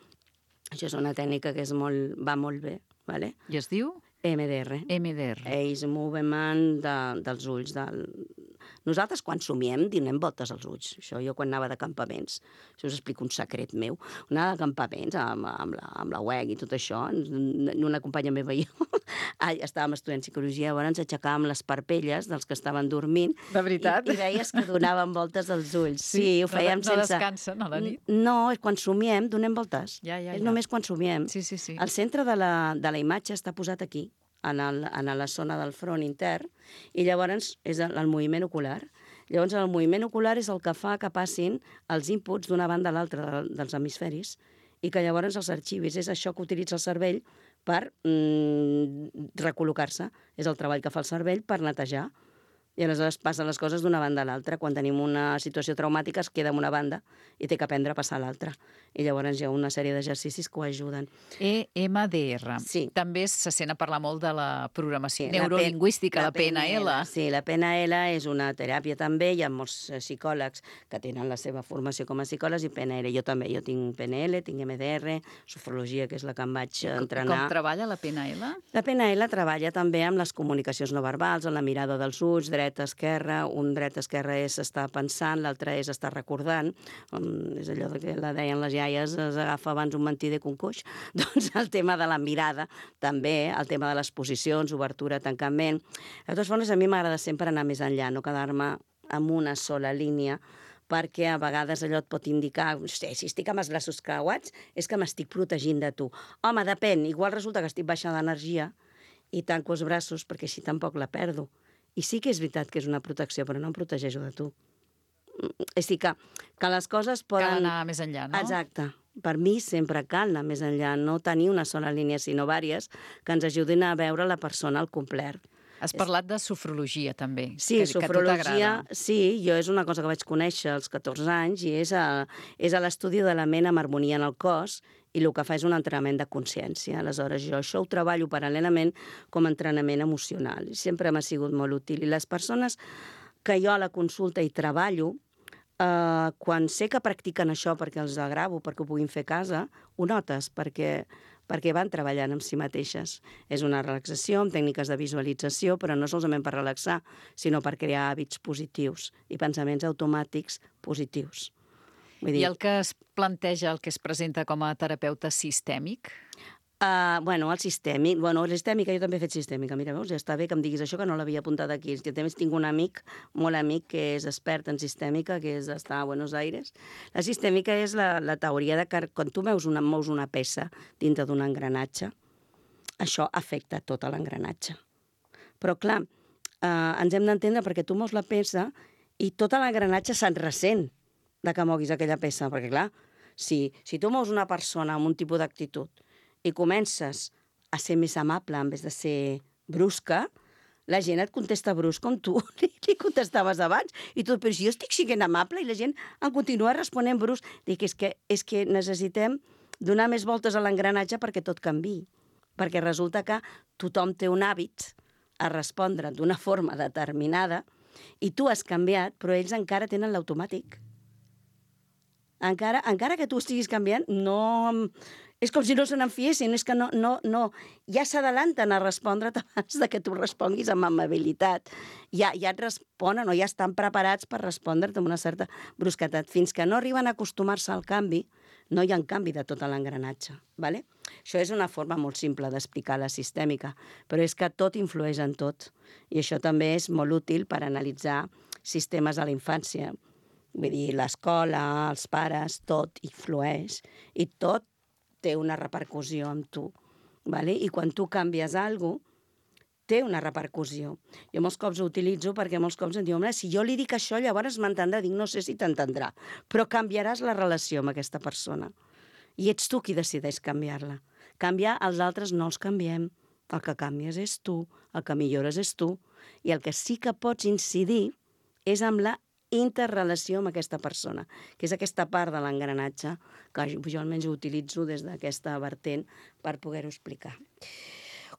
G: Això és una tècnica que és molt, va molt bé. Vale?
B: I es diu?
G: M D R.
B: M D R.
G: Age Movement de, dels ulls. Del... Nosaltres, quan somiem, donem voltes als ulls. Això jo quan anava de campaments. Això us explico un secret meu. Anava de campaments amb, amb, la, amb la U E C i tot això. Una companya meva i jo estàvem estudiant psicologia, llavors ens aixecàvem les parpelles dels que estaven dormint.
B: De veritat?
G: I, i veies que donaven voltes als ulls. Sí, sí ho fèiem
B: no, no
G: sense...
B: No descansen a la nit?
G: No, quan somiem donem voltes.
B: Ja, ja, ja.
G: És només quan somiem.
B: Sí, sí, sí.
G: El centre de la, de la imatge està posat aquí, en, el, en la zona del front intern, i llavors és el, el moviment ocular. Llavors el moviment ocular és el que fa que passin els inputs d'una banda a l'altra de, dels hemisferis i que llavors els arxivis. És això que utilitza el cervell per mm, recol·locar-se. És el treball que fa el cervell per netejar. I aleshores passen les coses d'una banda a l'altra. Quan tenim una situació traumàtica es queda en una banda i té que aprendre a passar a l'altra. I llavors hi ha una sèrie d'exercicis que ho ajuden.
B: E M D R.
G: Sí.
B: També se sent a parlar molt de la programació
G: sí,
B: neurolingüística, la,
G: la P N L.
B: Sí,
G: la P N L és una teràpia també. Hi ha molts psicòlegs que tenen la seva formació com a psicòlegs i P N L. Jo també. Jo tinc P N L, tinc M D R, sofrologia, que és la que em vaig entrenar.
B: Com treballa la P N L?
G: La P N L treballa també amb les comunicacions no verbals, en la mirada dels ulls, dreta-esquerra. Un dret-esquerra és estar pensant, l'altre és estar recordant. Um, és allò que la deien les iaies, es agafa abans un mentider que un coix. Doncs el tema de la mirada, també, el tema de les posicions, obertura, tancament. De totes formes, a mi m'agrada sempre anar més enllà, no quedar-me amb una sola línia, perquè a vegades allò et pot indicar, hosti, si estic amb els braços creuats, és que m'estic protegint de tu. Home, depèn, igual resulta que estic baixa d'energia i tanco els braços perquè així tampoc la perdo. I sí que és veritat que és una protecció, però no em protegeixo de tu. És a dir, que, que les coses poden...
B: Cal anar més enllà, no?
G: Exacte. Per mi sempre cal anar més enllà, no tenir una sola línia, sinó vàries, que ens ajudin a veure la persona al complet.
B: Has parlat de sofrologia, també.
G: Sí,
B: que,
G: sofrologia, que sí, jo és una cosa que vaig conèixer als catorze anys i és, a, és a l'estudi de la ment amb harmonia en el cos i el que fa és un entrenament de consciència. Aleshores, jo això ho treballo paral·lelament com a entrenament emocional. Sempre m'ha sigut molt útil. I les persones que jo a la consulta hi treballo, eh, quan sé que practiquen això perquè els agravo, perquè ho puguin fer a casa, ho notes, perquè perquè van treballant amb si mateixes. És una relaxació amb tècniques de visualització, però no solament per relaxar, sinó per crear hàbits positius i pensaments automàtics positius. Vull dir,
B: I el que es planteja, el que es presenta com a terapeuta sistèmic?
G: Uh, bueno, el sistèmic, bueno, el sistèmica, jo també he fet sistèmica, mira, veus, ja està bé que em diguis això, que no l'havia apuntat aquí. Jo també tinc un amic, molt amic, que és expert en sistèmica, que és està a Buenos Aires. La sistèmica és la, la teoria de que quan tu mous una, mous una peça dintre d'un engranatge, això afecta tot l'engranatge. Però, clar, eh, ens hem d'entendre perquè tu mous la peça i tot l'engranatge se'n ressent de que moguis aquella peça, perquè, clar, si, si tu mous una persona amb un tipus d'actitud i comences a ser més amable en vez de ser brusca, la gent et contesta brusc com tu li, li contestaves abans. I tu, però si jo estic sent amable i la gent em continua responent brusc. Dic, és que, és que necessitem donar més voltes a l'engranatge perquè tot canvi. Perquè resulta que tothom té un hàbit a respondre d'una forma determinada i tu has canviat, però ells encara tenen l'automàtic. Encara, encara que tu estiguis canviant, no... És com si no se n'enfiessin, és que no, no, no, ja s'adalanten a respondre't abans de que tu responguis amb amabilitat. Ja, ja et responen o ja estan preparats per respondre't amb una certa brusquetat. Fins que no arriben a acostumar-se al canvi, no hi ha canvi de tot l'engranatge. ¿Vale? Això és una forma molt simple d'explicar la sistèmica, però és que tot influeix en tot. I això també és molt útil per analitzar sistemes a la infància. Vull dir, l'escola, els pares, tot influeix i tot té una repercussió amb tu. ¿Vale? I quan tu canvies alguna cosa, té una repercussió. Jo molts cops ho utilitzo perquè molts cops em diuen, si jo li dic això, llavors m'entendrà. Dic, no sé si t'entendrà, però canviaràs la relació amb aquesta persona. I ets tu qui decideix canviar-la. Canviar, els altres no els canviem. El que canvies és tu, el que millores és tu. I el que sí que pots incidir és amb la interrelació amb aquesta persona, que és aquesta part de l'engranatge que jo almenys ho utilitzo des d'aquesta vertent per poder-ho explicar.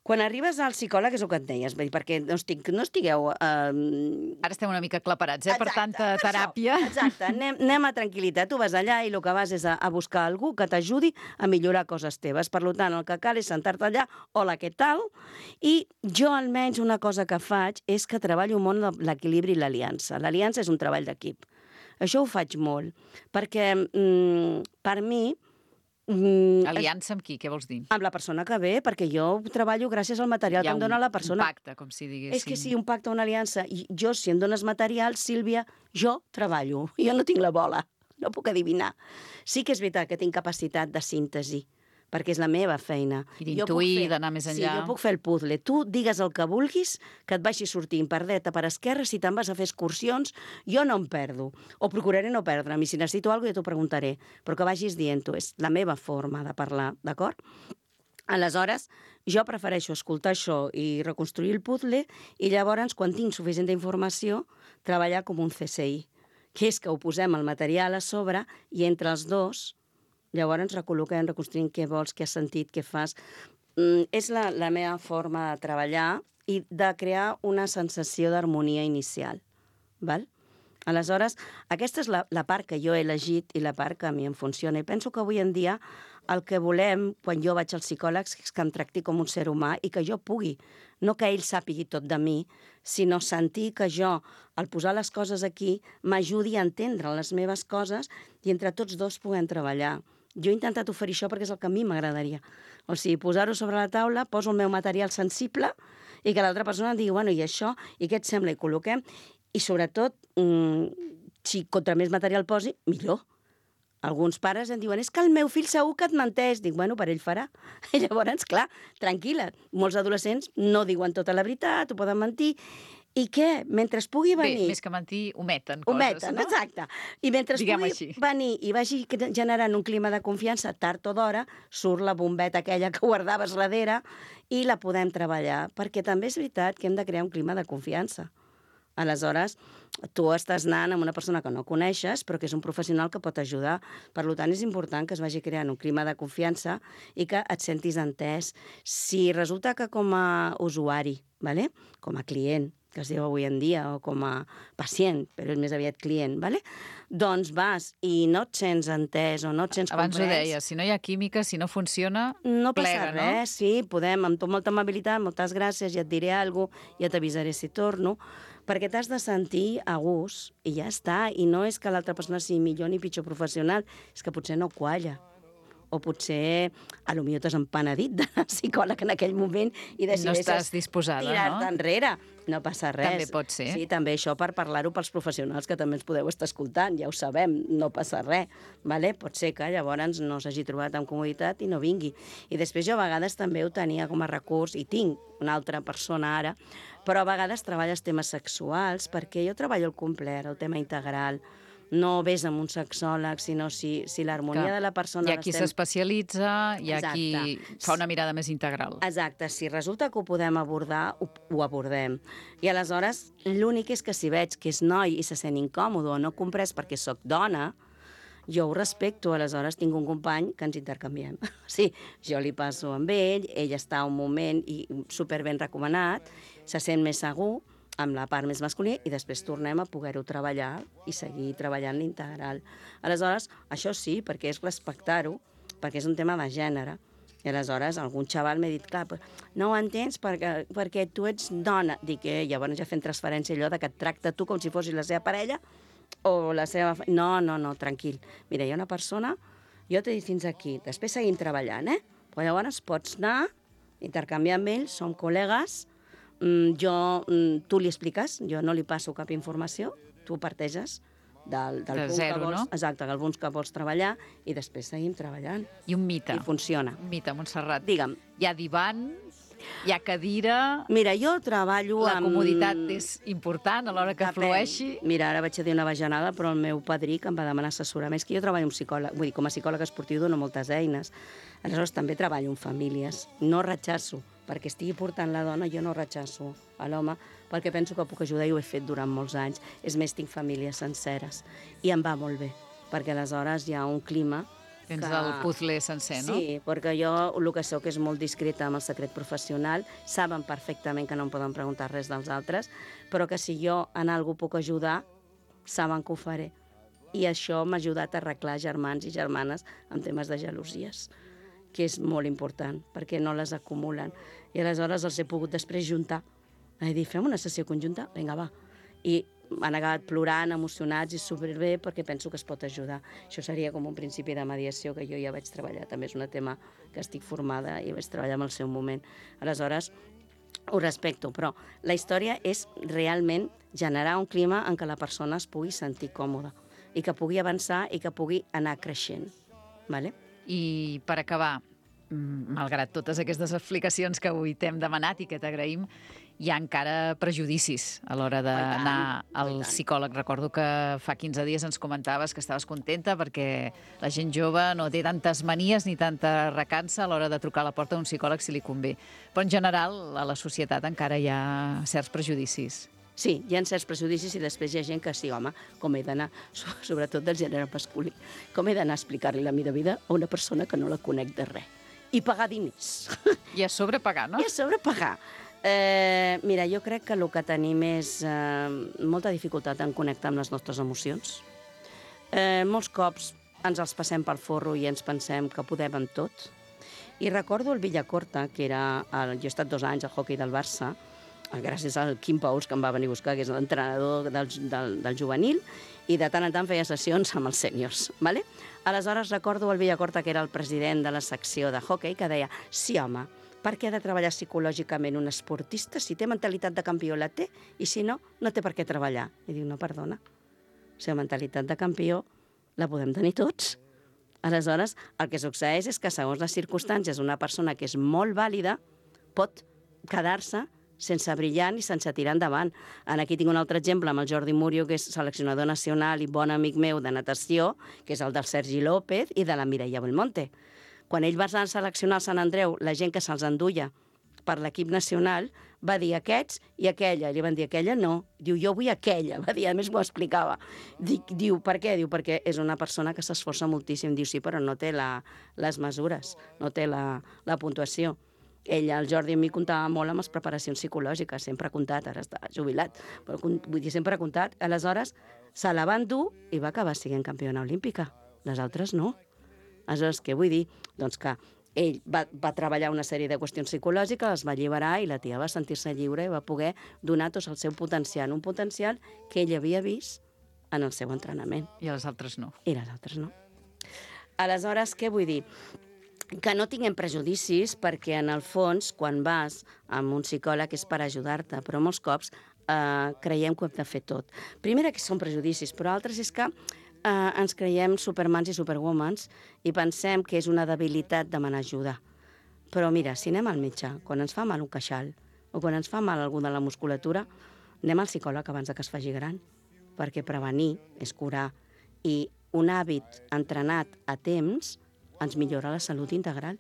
G: Quan arribes al psicòleg és el que et deies, perquè no, estic, no estigueu... Eh...
B: Ara estem una mica aclaparats, eh?
G: Exacte,
B: per tanta teràpia.
G: Això, exacte, anem, anem a tranquil·litat. Tu vas allà i el que vas és a, a buscar algú que t'ajudi a millorar coses teves. Per tant, el que cal és sentar-te allà, hola, què tal? I jo almenys una cosa que faig és que treballo molt l'equilibri i l'aliança. L'aliança és un treball d'equip. Això ho faig molt, perquè mm, per mi...
B: Mm, aliança amb qui? Què vols dir?
G: Amb la persona que ve, perquè jo treballo gràcies al material que em dona la persona.
B: Hi ha un pacte, com si diguéssim.
G: És que sí, un pacte, una aliança. I jo, si em dones material, Sílvia, jo treballo. Jo no tinc la bola, no puc adivinar. Sí que és veritat que tinc capacitat de síntesi, perquè és la meva feina.
B: I d'intuir, d'anar més enllà.
G: Sí, jo puc fer el puzzle. Tu digues el que vulguis, que et vagi sortint per dreta, per esquerra, si te'n vas a fer excursions, jo no em perdo. O procuraré no perdre'm, i si necessito alguna cosa jo t'ho preguntaré, però que vagis dient-ho, és la meva forma de parlar, d'acord? Aleshores, jo prefereixo escoltar això i reconstruir el puzzle, i llavors, quan tinc suficient informació, treballar com un C S I, que és que ho posem el material a sobre i entre els dos llavors ens recol·loquem, reconstruint què vols, què has sentit, què fas. Mm, és la, la meva forma de treballar i de crear una sensació d'harmonia inicial. Val? Aleshores, aquesta és la, la part que jo he elegit i la part que a mi em funciona. I penso que avui en dia el que volem, quan jo vaig als psicòlegs, és que em tracti com un ser humà i que jo pugui, no que ell sàpigui tot de mi, sinó sentir que jo, al posar les coses aquí, m'ajudi a entendre les meves coses i entre tots dos puguem treballar. Jo he intentat oferir això perquè és el que a mi m'agradaria. O sigui, posar-ho sobre la taula, poso el meu material sensible i que l'altra persona em digui, bueno, i això, i què et sembla? I col·loquem. I sobretot, mmm, si contra més material posi, millor. Alguns pares em diuen, és que el meu fill segur que et menteix. Dic, bueno, per ell farà. I llavors, clar, tranquil·la. Molts adolescents no diuen tota la veritat, ho poden mentir. I què? Mentre es pugui venir...
B: Bé, més que mentir, ometen coses,
G: ometen,
B: no?
G: Exacte. I mentre es
B: Diguem
G: pugui
B: així.
G: venir i vagi generant un clima de confiança, tard o d'hora, surt la bombeta aquella que guardaves darrere i la podem treballar. Perquè també és veritat que hem de crear un clima de confiança. Aleshores, tu estàs anant amb una persona que no coneixes, però que és un professional que pot ajudar. Per tant, és important que es vagi creant un clima de confiança i que et sentis entès. Si resulta que com a usuari, vale? Com a client, que que es diu avui en dia, o com a pacient, però és més aviat client, ¿vale? Doncs vas i no et sents entès o no et sents
B: Abans
G: comprès.
B: ho deia, si no hi ha química, si no funciona,
G: No passa
B: plega, no?
G: res, sí, podem, amb tot molta amabilitat, moltes gràcies, ja et diré alguna cosa, ja t'avisaré si torno, perquè t'has de sentir a gust i ja està. I no és que l'altra persona sigui millor ni pitjor professional, és que potser no qualla. O potser, a lo millor t'has empenedit de psicòleg en aquell moment i
B: No
G: decideixes
B: estàs disposada,
G: tirar-te
B: no?
G: enrere. No passa res.
B: També pot ser.
G: Sí, també això per parlar-ho pels professionals que també ens podeu estar escoltant, ja ho sabem, no passa res. Vale? Pot ser que llavors no s'hagi trobat amb comoditat i no vingui. I després jo a vegades també ho tenia com a recurs, i tinc una altra persona ara, però a vegades treballes temes sexuals, perquè jo treballo el complet, el tema integral. No ves amb un sexòleg, sinó si, si l'harmonia
B: Clar.
G: de la persona...
B: Hi ha qui
G: l'estem-
B: s'especialitza, hi ha qui
G: Exacte.
B: fa una mirada més integral.
G: Exacte, si resulta que ho podem abordar, ho, ho abordem. I aleshores, l'únic és que si veig que és noi i se sent incòmode o no comprès perquè sóc dona, jo ho respecto, aleshores tinc un company que ens intercanviem. Sí, jo li passo amb ell, ell està un moment i super ben recomanat, se sent més segur, amb la part més masculina, i després tornem a poder-ho treballar i seguir treballant l'integral. Aleshores, això sí, perquè és respectar-ho, perquè és un tema de gènere. I aleshores algun xaval m'ha dit, clar, no ho entens perquè, perquè tu ets dona. Dic, eh, llavors ja fent transferència allò de que et tracta tu com si fossis la seva parella o la seva... No, no, no, tranquil. Mira, hi ha una persona, jo t'he dit fins aquí, després seguim treballant, eh? Però llavors pots anar, intercanviar amb ell, som col·legues, mm, jo, mm, tu li expliques, jo no li passo cap informació, tu parteges del, del
B: De
G: punt
B: zero,
G: que vols,
B: no?
G: exacte, del punt que vols treballar i després seguim treballant.
B: I un mite.
G: I funciona.
B: Un mite, Montserrat.
G: Digue'm.
B: Hi ha divan, hi ha cadira...
G: Mira, jo treballo
B: La
G: amb...
B: comoditat és important a l'hora que
G: Depèn.
B: flueixi.
G: Mira, ara vaig a dir una bajanada, però el meu padrí que em va demanar assessorament, és que jo treballo amb psicòleg, vull dir, com a psicòleg esportiu dono moltes eines. Aleshores també treballo amb famílies. No rechaço, perquè estigui portant la dona, jo no rechaço a l'home, perquè penso que puc ajudar i ho he fet durant molts anys. És més, tinc famílies senceres. I em va molt bé, perquè aleshores hi ha un clima
B: Tens
G: que...
B: el puzzle sencer, no?
G: Sí, perquè jo el que soc és molt discreta amb el secret professional, saben perfectament que no em poden preguntar res dels altres, però que si jo en alguna puc ajudar, saben que ho faré. I això m'ha ajudat a arreglar germans i germanes en temes de gelosies, que és molt important, perquè no les acumulen. I aleshores els he pogut després juntar. He dit, fem una sessió conjunta? Vinga, va. I han acabat plorant, emocionats i superbé perquè penso que es pot ajudar. Això seria com un principi de mediació que jo ja vaig treballar. També és un tema que estic formada i vaig treballar en el seu moment. Aleshores, ho respecto, però la història és realment generar un clima en què la persona es pugui sentir còmoda i que pugui avançar i que pugui anar creixent. Vale?
B: I per acabar, mm, malgrat totes aquestes explicacions que avui t'hem demanat i que t'agraïm, hi ha encara prejudicis a l'hora d'anar al psicòleg. Recordo que fa quinze dies ens comentaves que estaves contenta perquè la gent jove no té tantes manies ni tanta recança a l'hora de trucar a la porta d'un psicòleg si li convé. Però en general a la societat encara hi ha certs prejudicis.
G: Sí, hi ha certs prejudicis i després hi ha gent que sí, home, com he d'anar, sobretot del gènere masculí, com he d'anar a explicar-li la meva vida a una persona que no la conec de res. I pagar diners.
B: I a sobre pagar, no?
G: I a sobre pagar. Eh, mira, jo crec que el que tenim és eh, molta dificultat en connectar amb les nostres emocions. Eh, molts cops ens els passem pel forro i ens pensem que podem amb tot. I recordo el Villacorta, que era... El, jo he estat dos anys al hoquei del Barça, gràcies al Quim Pauls, que em va venir a buscar, que és l'entrenador del, del, del juvenil, i de tant en tant feia sessions amb els sèniors. ¿Vale? Aleshores recordo el Villacorta, que era el president de la secció de hoquei, que deia, sí, home, per què ha de treballar psicològicament un esportista? Si té mentalitat de campió la té, i si no, no té per què treballar. I diu, no, perdona, la seva mentalitat de campió la podem tenir tots. Aleshores, el que succeeix és que, segons les circumstàncies, una persona que és molt vàlida pot quedar-se sense brillar ni sense tirar endavant. Aquí tinc un altre exemple amb el Jordi Murio, que és seleccionador nacional i bon amic meu de natació, que és el del Sergi López i de la Mireia Belmonte. Quan ell va seleccionar el Sant Andreu, la gent que se'ls enduia per l'equip nacional va dir aquests i aquella. I li van dir aquella no. Diu, jo vull aquella. Va dir, a més m'ho explicava. Dic, diu, per què? Diu, perquè és una persona que s'esforça moltíssim. Diu, sí, però no té la, les mesures, no té la, la puntuació. ell, el Jordi, a mi comptava molt amb les preparacions psicològiques, sempre ha comptat, ara està jubilat, però vull dir, sempre ha comptat. Aleshores, se la van dur i va acabar sent campiona olímpica. Les altres no. Aleshores, què vull dir? Doncs que ell va, va treballar una sèrie de qüestions psicològiques, es va alliberar i la tia va sentir-se lliure i va poder donar tot el seu potencial, un potencial que ell havia vist en el seu entrenament.
B: I les altres no.
G: I les altres no. Aleshores, què vull dir? Que no tinguem prejudicis perquè, en el fons, quan vas amb un psicòleg és per ajudar-te, però molts cops eh, creiem que ho hem de fer tot. Primera, que són prejudicis, però altres és que Uh, ens creiem supermans i superwomans i pensem que és una debilitat demanar ajuda. Però mira, si anem al metge, quan ens fa mal un queixal o quan ens fa mal algú de la musculatura, anem al psicòleg abans que es faci gran, perquè prevenir és curar i un hàbit entrenat a temps ens millora la salut integral.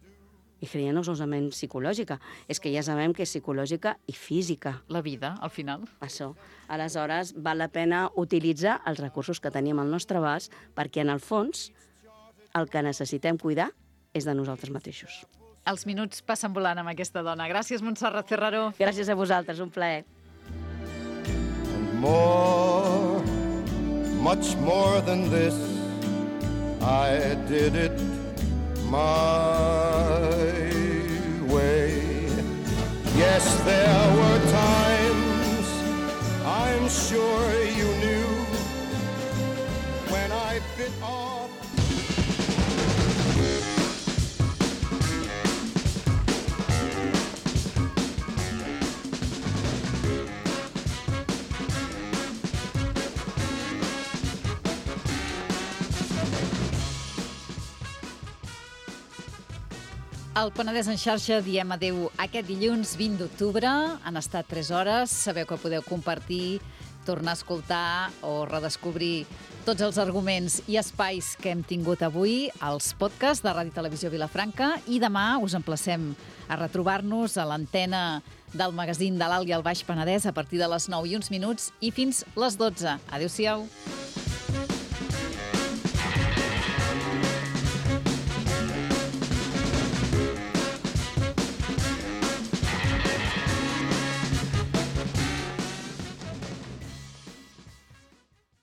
G: I creiem no solament psicològica, és que ja sabem que és psicològica i física.
B: La vida, al final.
G: Això. Aleshores, val la pena utilitzar els recursos que tenim al nostre abast perquè, en el fons, el que necessitem cuidar és de nosaltres mateixos.
B: Els minuts passen volant amb aquesta dona. Gràcies, Montserrat Ferraró.
G: Gràcies a vosaltres, un plaer.
F: And more, much more than this, I did it my way. Yes, there were times I'm sure you knew when I bit off.
B: Al Penedès en xarxa diem adeu aquest dilluns vint d'octubre. Han estat tres hores. Sabeu que podeu compartir, tornar a escoltar o redescobrir tots els arguments i espais que hem tingut avui als podcasts de Ràdio Televisió Vilafranca, i demà us emplacem a retrobar-nos a l'antena del magazín de l'Alt i el Baix Penedès a partir de les nou i uns minuts i fins les dotze. Adéu-siau.